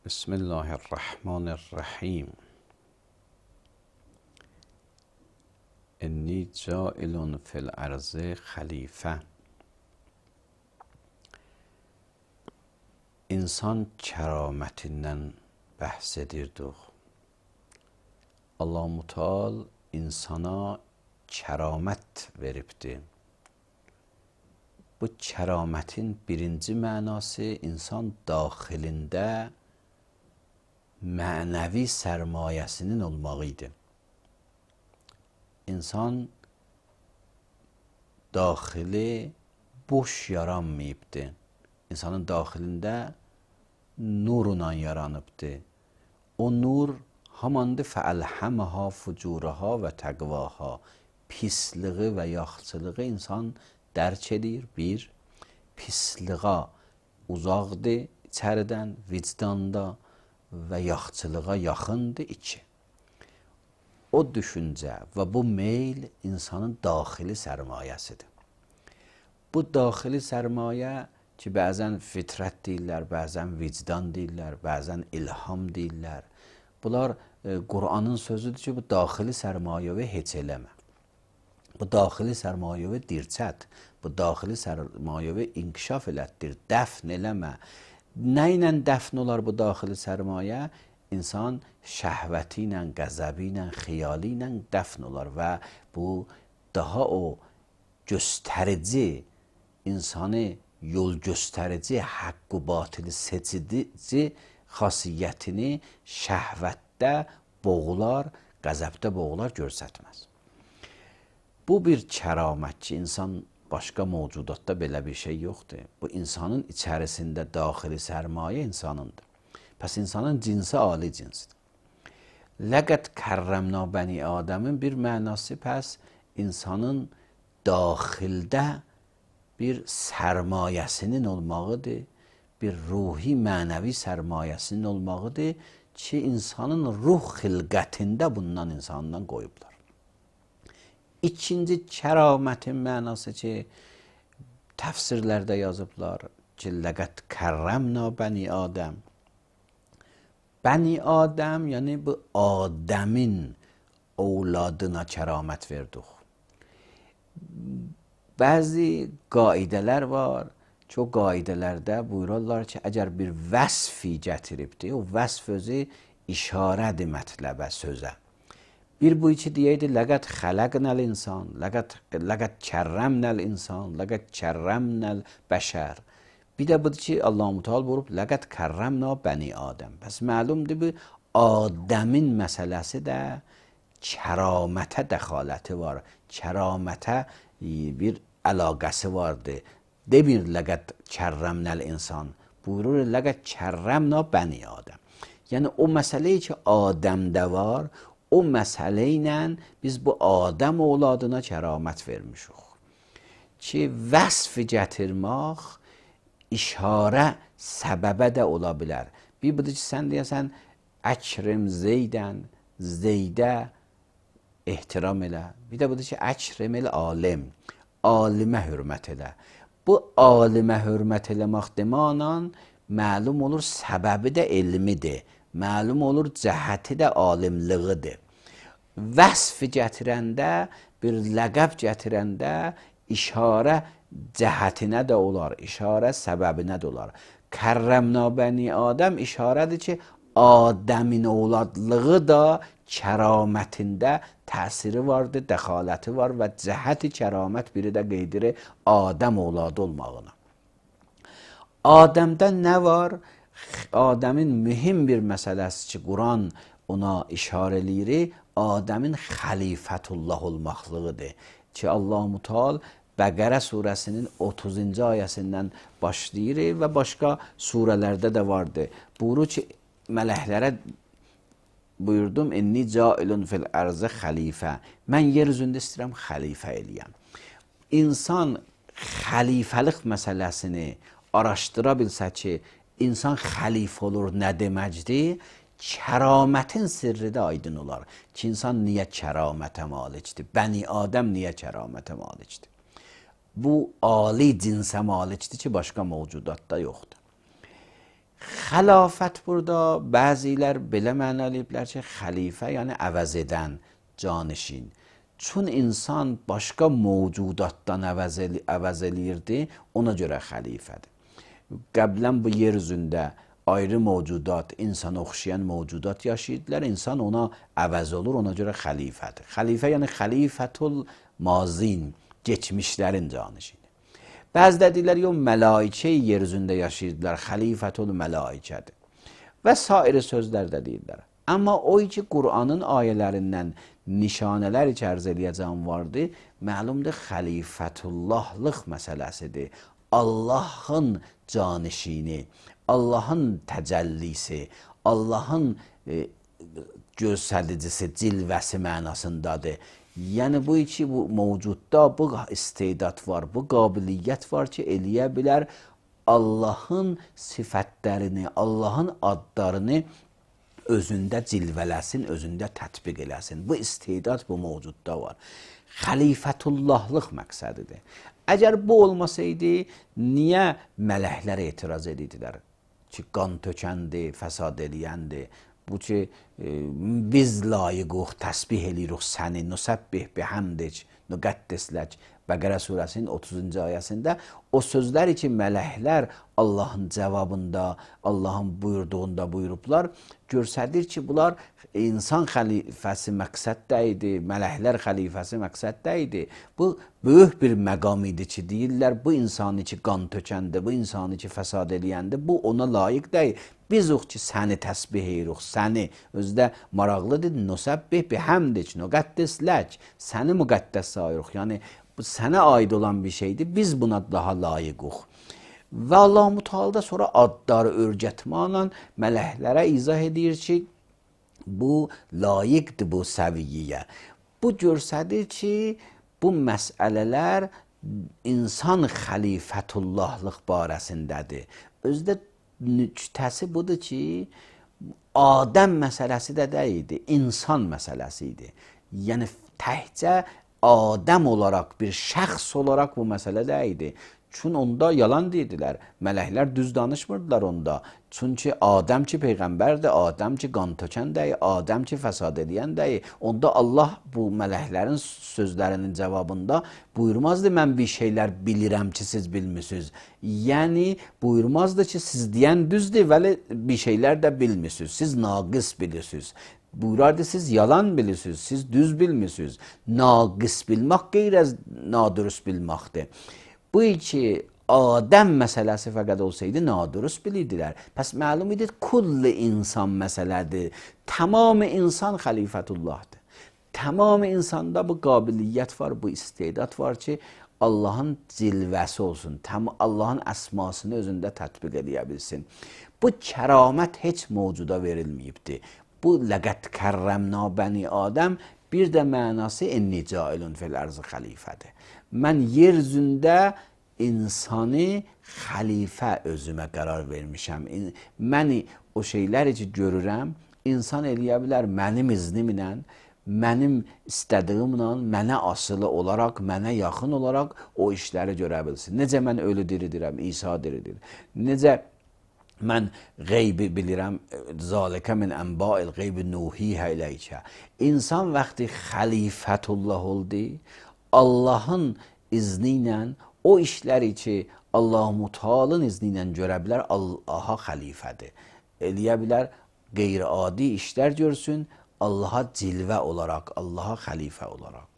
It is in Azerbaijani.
بسم الله الرحمن الرحیم. انی جاعل فی الارض خلیفه. İnsan kəramətindən bəhs edirdik. Allah Mutal insana kəramət veribdir. Bu kəramətin birinci mənası insan daxilində mənəvi sərmayəsinin olmağı idi. İnsan daxili boş yaranmayıbdır. İnsanın daxilində nurla yaranıbdır. O nur hamandı fəəlhəməhə fucurəhə və təqvahə. Pisliği və yaxçılığı insan dərk edir. Bir, pisliğə uzaqdır içəridən, vicdanda və yaxçılığa yaxındır. İki, o düşüncə və bu meyl insanın daxili sərmayəsidir. Bu daxili sərmayə ki, bəzən fitrət deyirlər, bəzən vicdan deyirlər, bəzən ilham deyirlər. Bunlar Qur'anın sözüdür ki, bu daxili sərmayəvi heç eləmə. Bu daxili sərmayəvi dirçət, bu daxili sərmayəvi inkişaf elətdir, dəfn eləmə. Nə ilə dəfn olar bu daxili sərmayə? İnsan şəhvəti ilə, qəzəbi ilə, xiyali ilə dəfn olar və bu daha o göstərici, insanı yol göstərici, haqq-ı batili seçici xasiyyətini şəhvətdə boğular, qəzəbdə boğular, görsətməz. Bu bir kəramət ki, insan başqa mövcudatda belə bir şey yoxdur. Bu insanın içərisində daxili sərmayə insanındır. Pəs insanın cinsi ali cinsdir. Ləqəd kərrəmna bəni Adəmin bir mənası pəs insanın daxildə bir sərmayəsinin olmağıdır, bir ruhi mənəvi sərmayəsinin olmağıdır ki, insanın ruh xilqətində bundan insandan qoyublar. İkinci kəramətin mənası ki, təfsirlərdə yazıblar ki, ləqəd kərrəmna bəni Adəm. Bəni Adəm, yəni bu Adəmin ovladına kəramət verdik. Bəzi qaidələr var ki, o qaidələrdə buyururlar ki, əgər bir vəsfi gətiribdir, o vəsf özü işarədir mətləbə, sözə. Bir bu iki deyəydi, ləqəd xələqnəl insan, ləqəd kərrəmnəl insan, ləqəd kərrəmnəl bəşər. Bir də budur ki, Allah-u Teala buyurub, ləqəd kərrəmna bəni Adəm. Bəs məlumdur bu, Adəmin məsələsi də kəramətə dəxaləti var, kəramətə bir əlaqəsi vardır. Demir, ləqəd kərrəmnəl insan, buyurur, ləqəd kərrəmna bəni Adəm. Yəni, o məsələyi ki, Adəmdə var, o məsələ ilə biz bu Adəm oğladına kəramət vermişik. Ki, vəsf gətirmək işarə səbəbə də ola bilər. Bir budur ki, sən deyəsən, əkrim Zeydən, Zeydə ehtiram elə. Bir də budur ki, əkrim el alim, alimə hörmət elə. Bu alimə hörmət eləmək demənan məlum olur, səbəbi də elmidir. Məlum olur, cəhəti də alimliğidir. Vəsf gətirəndə, bir ləqəb gətirəndə işarə cəhətinə də olar, işarə səbəbinə də olar. Kərrəmna bəni Adəm işarədir ki, Adəmin ovladlığı da kəramətində təsiri vardır, dəxaləti var və cəhəti kəramət biri də qeydir Adəm ovladı olmağına. Adəmdə nə var? Adəmin mühüm bir məsələsi ki, Quran ona işarə eləyir, Adəmin xəlifətullah olmaqlığıdır ki, Allah-u Teala Bəqərə surəsinin 30-cu ayəsindən başlayır və başqa surələrdə də vardır. Buyurur ki, mələklərə buyurdum, inni cailun fil ərzə xəlifə. Mən yer üzündə istəyirəm xəlifə eləyəm. İnsan xəlifəlik məsələsini araşdıra bilsə ki, insan xəlifə olur, nə deməkdir? Kəramətin sirri də aydın olar ki, insan niyə kəramətə malikdir? Bəni Adəm niyə kəramətə malikdir? Bu ali cinsə malikdir ki, başqa mövcudatda yoxdur. Xəlafət burada bəzilər belə mənalayıblar ki, xəlifə yəni əvəz edən, canişin. Çün insan başqa mövcudatdan əvəz eləyirdi, ona görə xəlifədir. Qəblən bu yer üzündə ayrı mövcudat, insana oxşayan mövcudat yaşayırdılar. İnsan ona əvəz olur, ona görə xəlifədir. Xəlifə yəni xəlifətul mazin, geçmişlərin canişini. Bəziləri deyirlər, yox, mələikə yer üzündə yaşayırdılar, xəlifətul mələikədir. Və sair sözlər də deyirlər. Amma o ki, Qur'anın ayələrindən nişanələr ki, ərz eləyəcəm vardı, məlumdur xəlifətullahlıq məsələsidir. Allahın canişini, Allahın təcəllisi, Allahın göstəricisi, cilvəsi mənasındadır. Yəni bu iki bu mövcudda bu istedad var, bu qabiliyyət var ki, eləyə bilər Allahın sifətlərini, Allahın adlarını özündə cilvələsin, özündə tətbiq eləsin. Bu istedad bu mövcudda var. Xəlifətullahlıq məqsədidir. Əgər bu olmasaydı, niyə mələklər etiraz edirdilər? Ki, qan tökəndir, fəsad eləyəndir. Bu ki, biz layiquq, təsbih eləyirik səni, nusəbbih bihamdik, nüqəddisləc. Bəqərə surəsinin 30-cu ayəsində o sözləri ki, mələklər Allahın cavabında, Allahın buyurduğunda buyurublar, göstərir ki, bunlar insan xəlifəsi məqsəddə idi, mələklər xəlifəsi məqsəddə idi. Bu, böyük bir məqam idi ki, deyirlər, bu insanı ki, qan tökəndə, bu insanı ki, fəsad eləyəndə, bu ona layiq deyil. Biz ox ki, səni təsbih edirik, səni özdə maraqlıdır, nusəbbih bihamdik, nüqəddisləc, səni müqəddəs sayırıq. Yəni, bu sənə aid olan bir şeydir, biz buna daha layiquq. Və Allah-u Teala sonra adları örgətməklə mələklərə izah edir ki, bu layiqdir bu səviyyəyə. Bu göstərir ki, bu məsələlər insan xəlifətullahlıq barəsindədir. Özdə nüktəsi budur ki, Adəm məsələsi də deyildi, insan məsələsi idi. Yəni, təhcə Adəm olaraq, bir şəxs olaraq bu məsələ deyildi. Çünki onda yalan dedilər. Mələklər düz danışmırdılar onda. Çünki Adəm ki peyğəmbərdir, Adəm ki qan tökən deyil, Adəm ki fəsad edən deyil. Onda Allah bu mələklərin sözlərinin cavabında buyurmazdı, mən bir şeylər bilirəm ki, siz bilmirsiniz. Yəni, buyurmazdı ki, siz deyən düzdür, vəli bir şeylər də bilmirsiniz. Siz naqis bilirsiniz. Buyurardı, siz yalan bilirsiniz, siz düz bilmirsiniz. Naqis bilmək qeyr-əz nadürüst bilməkdir. Bu ki, Adəm məsələsi fəqət olsaydı, nadürüst bilirdilər. Pəs məlum idi, kulli insan məsələdir. Tamamı insan xəlifətullahdır. Tamamı insanda bu qabiliyyət var, bu istedad var ki, Allahın cilvəsi olsun, Allahın əsmasını özündə tətbiq edə bilsin. Bu kəramət heç mövcuda verilməyibdir. Bu ləqət kərrəmna bəni Adəm bir də mənası enni cailun fil ərzı xəlifədir. Mən yer üzündə insanı xəlifə özümə qərar vermişəm. Mən o şeyləri ki görürəm, insan eləyə bilər mənim iznimlə, mənim istədiyimlə, mənə asılı olaraq, mənə yaxın olaraq o işləri görə bilsin. Necə mən ölü diridirəm, İsa diridir. Necə mən qeybi bilirəm, zalikə min ənba'il qeybi nuhihə iləykə. İnsan vaxtı xəlifətullah oldu, Allahın izni ilə o işləri ki, Allah-u Teala'nın izni ilə görə bilər, Allaha xəlifədir. Eləyə bilər, qeyri-adi işlər görsün, Allaha cilvə olaraq, Allaha xəlifə olaraq.